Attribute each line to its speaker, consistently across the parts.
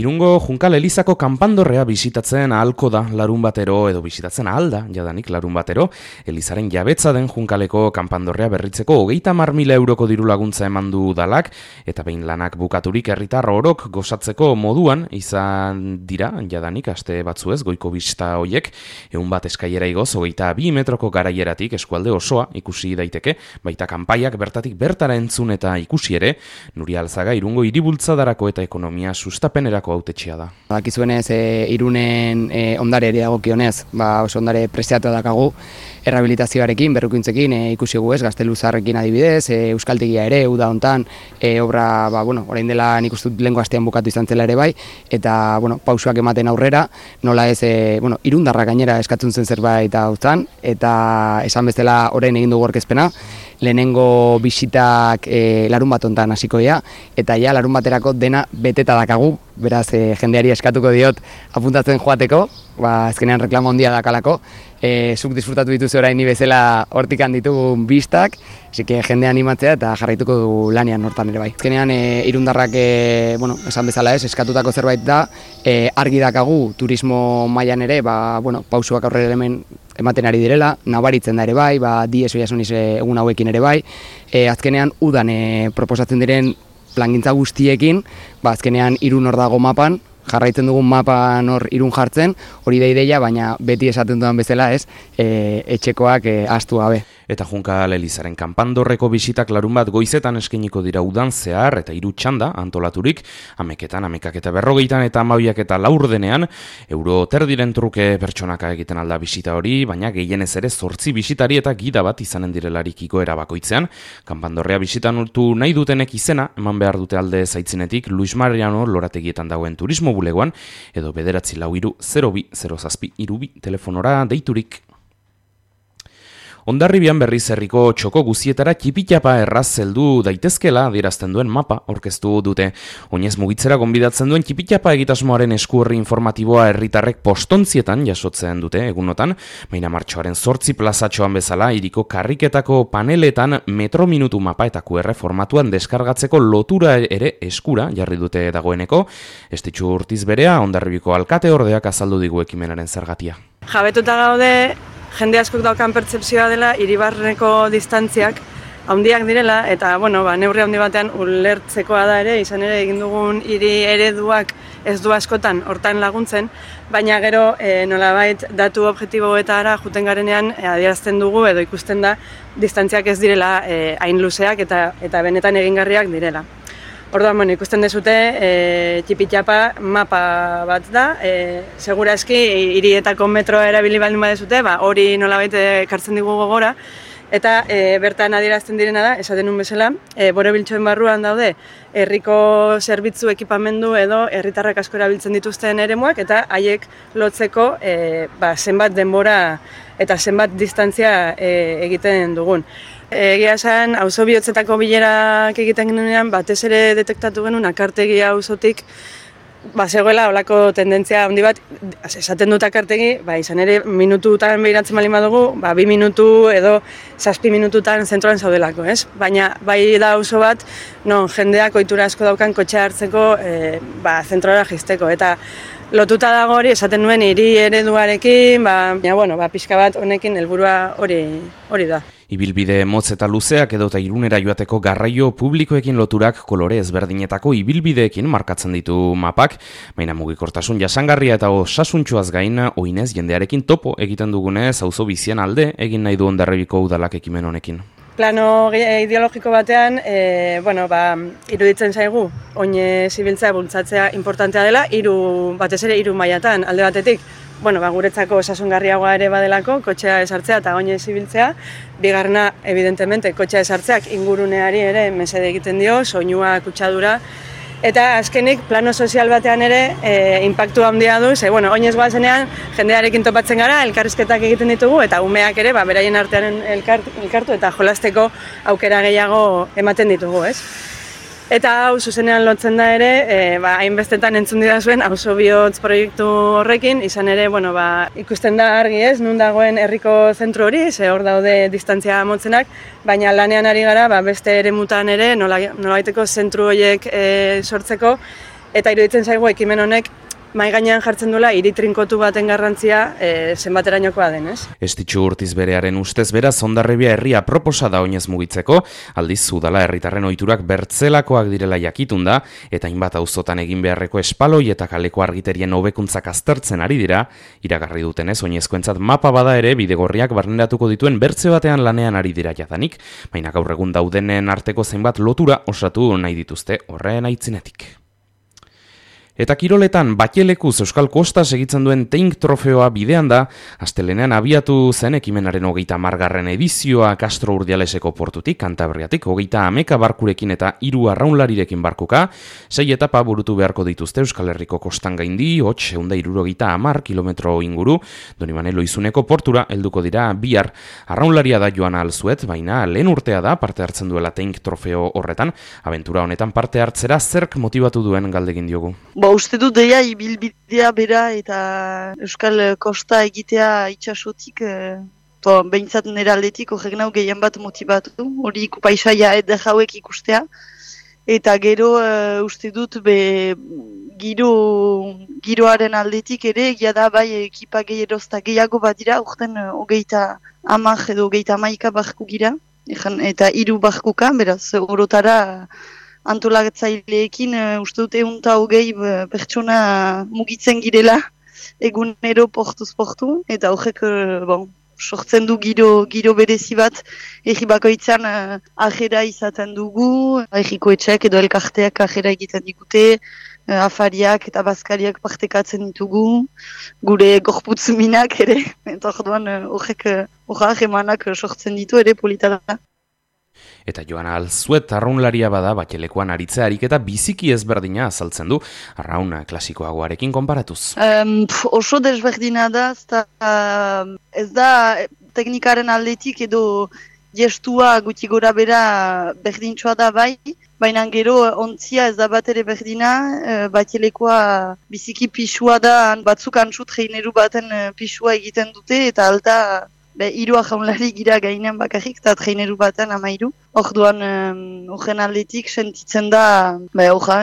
Speaker 1: Irungo Junkal Elizako kanpandorrea bisitatzen ahalko da larun batero edo bisitatzen ahalda jadanik larun batero. Elizaren jabetza den Junkaleko kanpandorrea berritzeko 30.000 euroko diru laguntza eman du udalak eta behin lanak bukaturik herritar orok gozatzeko moduan izan dira jadanik aste batzuez goiko bista hoiek 100 eskailera igoz 22 metroko garaieratik eskualde osoa ikusi daiteke, baita kanpaiak bertatik bertara entzun eta ikusi ere. Nuria Alzaga Irungo hiribultzadarako eta ekonomia sustapenerako hautetxea da.
Speaker 2: Dakizuenez, Irunen ondareari dagokionez, oso ondare preziatua dakagu errehabilitazioarekin, berrikuntzekin ikusi gu ez, Gazteluzarrekin adibidez, Euskaltegia ere, uda hontan, obra, orain dela nik uste dut lehengo astean bukatu izan zela ere bai, eta, pausoak ematen aurrera, nola ez, Irundarra gainera eskatzen zen zerbait hautzan, eta esan bezala orain egin dugu aurkezpena, lehenengo bisitak larun bat hontan hasiko dira, eta ja larun baterako dena beteta dakagu, beraz jendeari eskatuko diot apuntatzen joateko, azkenean reklamo handia dakalako, zuk disfrutatu dituzu orain ni bezala hortikan ditugun bistak, asike jende animatzea eta jarraituko du lanean hortan ere bai. Azkenean irundarrak, esan bezala ez, eskatutako zerbait da, argi dakagu turismo mailan ere, pausuak aurrera hemen ematen ari direla, nabaritzen da ere bai, dies oiasuniz egun hauekin ere bai, azkenean udan proposatzen diren plangintza guztiekin, azkenean Irun hor dago mapan, jarraitzen dugun mapan hor Irun jartzen, hori da ideia, baina beti esaten dudan bezala ez, etxekoak ahaztu gabe.
Speaker 1: Eta Junkal Elizaren kanpandorreko bisitak larun bat goizetan eskainiko dira udan zehar eta 3 txanda antolaturik, 11etan, 11ak eta 40etan eta 12ak eta 4 denean, euro terdiren truke pertsonaka egiten alda bisita hori, baina gehienez ere 8 bisitari eta gida bat izanen direlarik igoera bakoitzean. Kanpandorrea bisitan urtu nahi dutenek izena, eman behar dute alde zaitzinetik Luis Mariano lorategietan dagoen turismo bulegoan, edo 942-02-07-32 telefonora deiturik. Hondarribian berriz herriko txoko guzietara txipitapa erraz heldu daitezkela adierazten duen mapa aurkeztu dute. Oinez mugitzera gonbidatzen duen txipitapa egitasmoaren eskuorri informatiboa herritarrek postontzietan jasotzen dute egunotan, baina martxoaren 8 plazatxoan bezala hiriko karriketako paneletan metro minutu mapa eta QR formatuan deskargatzeko lotura ere eskura jarri dute dagoeneko. Estitxu Urtiz berea Hondarribiko alkate ordeak azaldu digu ekimenaren zergatia.
Speaker 3: Jabetuta gaude jende askok daukan pertzepzioa dela hiribarreneko distantziak handiak direla eta neurri handi batean ulertzekoa da ere, izan ere egin dugun hiri ereduak ez du askotan hortan laguntzen, baina gero nolabait datu objektiboetara juten garenean adierazten dugu edo ikusten da distantziak ez direla hain luzeak eta benetan egingarriak direla. Orduan, ikusten dezute, txipitxapa mapa bat da, segurazki hirietako metroa erabili baldin badezute, hori nolabait ekartzen digu gogora, eta bertan adierazten direna da, esaten nun bezala, borobiltxoen barruan daude, herriko zerbitzu ekipamendu edo herritarrak asko erabiltzen dituzten eremuak, eta haiek lotzeko zenbat denbora eta zenbat distantzia egiten dugun. Egia esan, auzo bihotzetako bilerak egiten genuenean, batez ere detektatu genuen akartegia auzotik, zegoela olako tendentzia handi bat, esaten dut akartegi, izan ere minututan behiratzen baldin badugu, 2 minutu edo 7 minututan zentroan zaudelako, ez? Baina bai da auzo bat, non jendeak ohitura asko daukan kotxea hartzeko zentrora jisteko, eta lotuta dago hori, esaten nuen hiri ereduarekin, pixka bat honekin helburua hori da.
Speaker 1: Ibilbide motz eta luzeak edota Irunera joateko garraio publikoekin loturak kolore ezberdinetako ibilbideekin markatzen ditu mapak, baina mugikortasun jasangarria eta osasuntsuaz gain oinez jendearekin topo egiten dugunez auzo bizian alde egin nahi du Hondarribiko udalak ekimen honekin.
Speaker 3: Plano ideologiko batean, iruditzen zaigu, oinez ibiltzea bultzatzea importantea dela, batez ere 3 mailatan alde batetik, guretzako osasungarriagoa ere badelako, kotxea esartzea eta oinez ibiltzea, bigarrena, evidentemente, kotxea esartzeak inguruneari ere mesede egiten dio, soinua, kutsadura, eta azkenik plano sozial batean ere inpaktu handia du, oinez goazenean jendearekin topatzen gara, elkarrizketak egiten ditugu, eta umeak ere, beraien artean elkartu eta jolasteko aukera gehiago ematen ditugu, ez? Eta hau zuzenean lotzen da ere, hainbestetan entzun didazuen auzo bihotz proiektu horrekin, izan ere, ikusten da argi ez, nun dagoen herriko zentro hori, hor daude distantzia motzenak, baina lanean ari gara, beste eremutan ere, nolabaiteko zentru horiek sortzeko, eta iruditzen zaigu ekimen honek mahai gainean jartzen duela hiri trinkotu baten garrantzia zenbaterainokoa den, ez?
Speaker 1: Estitxu Urtiz Berearen ustez beraz Hondarribia herria proposa da oinez mugitzeko, aldiz udala herritarren ohiturak bertzelakoak direla jakitun da, eta hainbat auzotan egin beharreko espaloi eta kaleko argiterien hobekuntzak aztertzen ari dira, iragarri dutenez oinezkoentzat mapa bada ere bidegorriak barneratuko dituen bertze batean lanean ari dira jadanik, baina gaur egun daudenen arteko zenbat lotura osatu nahi dituzte horren aitzinetik. Eta kiroletan Batxelekuz Euskal Kosta segitzen duen Teink trofeoa bidean da, astelenean abiatu zen ekimenaren 30. edizioa Castro Urdialeseko portutik, Kantabriatik, 30 barkurekin eta 3 arraunlarirekin barkuka, 6 etapa burutu beharko dituzte Euskal Herriko kostan gaindi, 770 kilometro inguru, Donibane Loizuneko portura helduko dira bihar. Arraunlaria da Joana Alzuet, baina lehen urtea da parte hartzen duela Teink trofeo horretan, abentura honetan parte hartzera zerk motibatu duen galdegin diogu.
Speaker 4: Uste dut deia ibilbidea bera eta Euskal Kosta egitea itxasotik, behintzat nire aldetik horrek nau gehien bat motibatu, hori paisaia eder hauek ikustea, eta gero uste dut giroaren aldetik ere, egia da bai ekipa gehierozta gehiago bat dira, urten 30 edo 31 barku gira, eta 3 barkuka, beraz, orotara antolatzaileekin uste dut 120 pertsona mugitzen girela egunero portuz portu, eta horrek sortzen du giro berezi bat, egi bakoitzan ajera izaten dugu, egiko etxeak edo elkarteak ajera egiten digute, afariak eta bazkariak partekatzen ditugu, gure gorputz minak ere, eta orduan horrek emanak sortzen ditu ere polita da.
Speaker 1: Eta Joana Alzuet arraunlaria bada Batxelekoan aritze ariketa biziki ezberdina azaltzen du, arraun klasikoagoarekin konparatuz.
Speaker 4: Oso desberdina da, ez da teknikaren aldetik edo gestua guti gora bera berdintxoa da bai, baina gero ontzia ez da bat ere berdina, Batxelekoa biziki pixua da, batzuk antzut traineru baten pixua egiten dute, eta alta 3 arraunlari gira gainean bakarrik, eta traineru baten 13. Orduan, horren aldetik sentitzen da,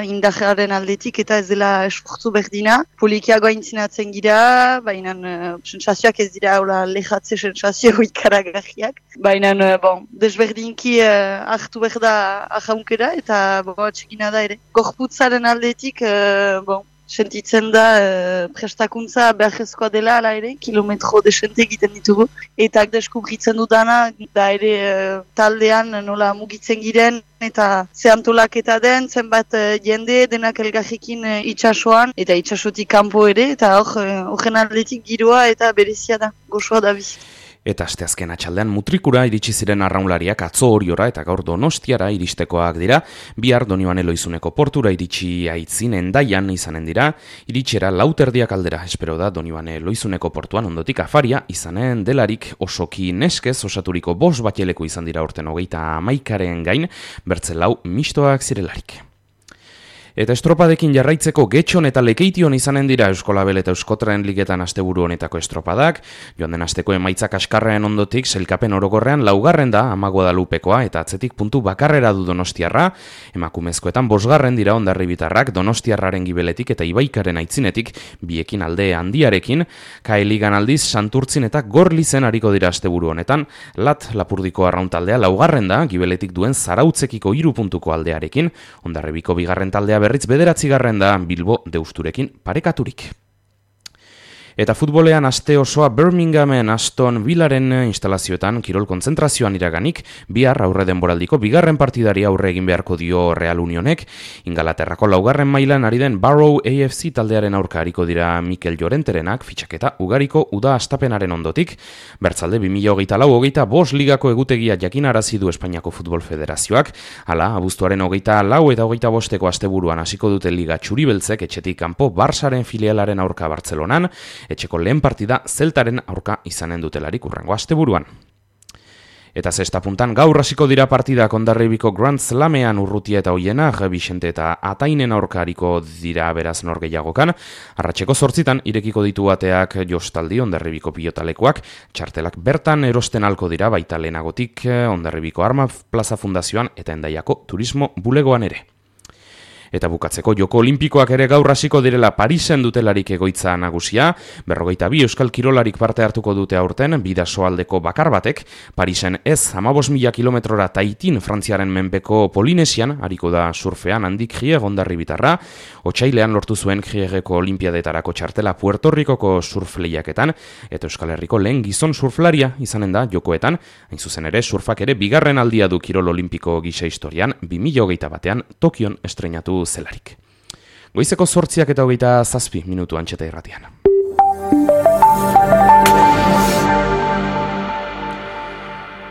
Speaker 4: indarraren aldetik eta ez dela esfortzu berdina. Polikiago aintzinatzen gira, baina sensazioak ez dira lejatze sensazio ikaragarriak. Baina, desberdinki hartu behar da arraunkera eta txekina da ere. Gorputzaren aldetik, sentitzen da prestakuntza beharrezkoa dela ala ere, kilometro desente egiten ditugu. Eta deskubritzen dudana, da ere taldean nola mugitzen giren, eta ze antolaketa den, zenbat jende denak elgarrekin itxasoan, eta itxasotik kanpo ere, eta horren aldetik giroa eta berezia da, gozoa da bizi.
Speaker 1: Eta asteazken atxaldean Mutrikura iritsi ziren arraunlariak atzo Oriora eta gaur Donostiara iristekoak dira, bihar Donibane Loizuneko portura iritsi aitzin Hendaian izanen dira, iritxera 4:00 aldera, espero da Donibane Loizuneko portuan ondotik afaria izanen delarik osoki neskez osaturiko 5 Batxeleko izan dira urten 31 gain, bertze 4 mistoak zirelarik. Eta estropadekin jarraitzeko Getxon eta Lekeition izanen dira Euskolabel eta Euskotren ligetan asteburu honetako estropadak, joan den asteko emaitzak askarrean ondotik sailkapen orokorrean 4. da Guadalupekoa eta atzetik puntu bakarrera du Donostiarra, emakumezkoetan 5. dira Hondarribitarrak Donostiarraren gibeletik eta Ibaikaren aitzinetik, biekin alde handiarekin, Kaeligan aldiz Santurtzin eta Gorlizen ariko dira asteburu honetan, Lapurdiko arrauntaldea 4. da gibeletik duen Zarautzekiko 3 puntuko aldearekin, Hondarribiko 2. taldea berriz 9. da Bilbo Deusturekin parekaturik. Eta futbolean aste osoa Birminghamen Aston Villaren instalazioetan kirol kontzentrazioan iraganik, bihar aurre denboraldiko 2. partidari aurre egin beharko dio Real Unionek, Ingalaterrako 4. mailan ari den Barrow AFC taldearen aurka ariko dira Mikel Llorenterenak fitxaketa ugariko uda astapenaren ondotik, bertzalde 2024-25 ligako egutegia jakinarazi du Espainiako Futbol Federazioak, hala, abuztuaren 24 eta 25 asteburuan hasiko dute liga txuribeltzek etxetik kanpo Barsaren filialaren aurka Bartzelonan, etxeko lehen partida Zeltaren aurka izanen dutelarik urrengo asteburuan. Eta zesta puntan gaur hasiko dira partidak Hondarribiko Grand Slamean Urrutia eta Oiena, Bixente eta Atainen aurka hariko dira beraz norgehiagokan. Arratseko 8 irekiko ditu ateak Jostaldi Hondarribiko pilotalekoak, txartelak bertan erosten halko dira baita lehenagotik Hondarribiko Arma Plaza Fundazioan eta Hendaiako Turismo Bulegoan ere. Eta bukatzeko Joko Olimpikoak ere gaur hasiko direla Parisen dutelarik egoitza nagusia, 42 euskal kirolarik parte hartuko dute aurten, bidasoaldeko bakar batek, Parisen ez 15.000 kilometrora Taitin Frantziaren menpeko Polinesian, hariko da surfean handik Gier Ondarri bitarra, otsailean lortu zuen Gierreko Olimpiadetarako txartela Puerto Ricoko surf lehiaketan, eta Euskal Herriko lehen gizon surflaria izanen da jokoetan, hain zuzen ere surfak ere bigarren aldia du kirol olimpiko gisa historian, 2021 Tokion estreinatu zelarik. Goizeko 8:27 minutu Antxeta Irratian.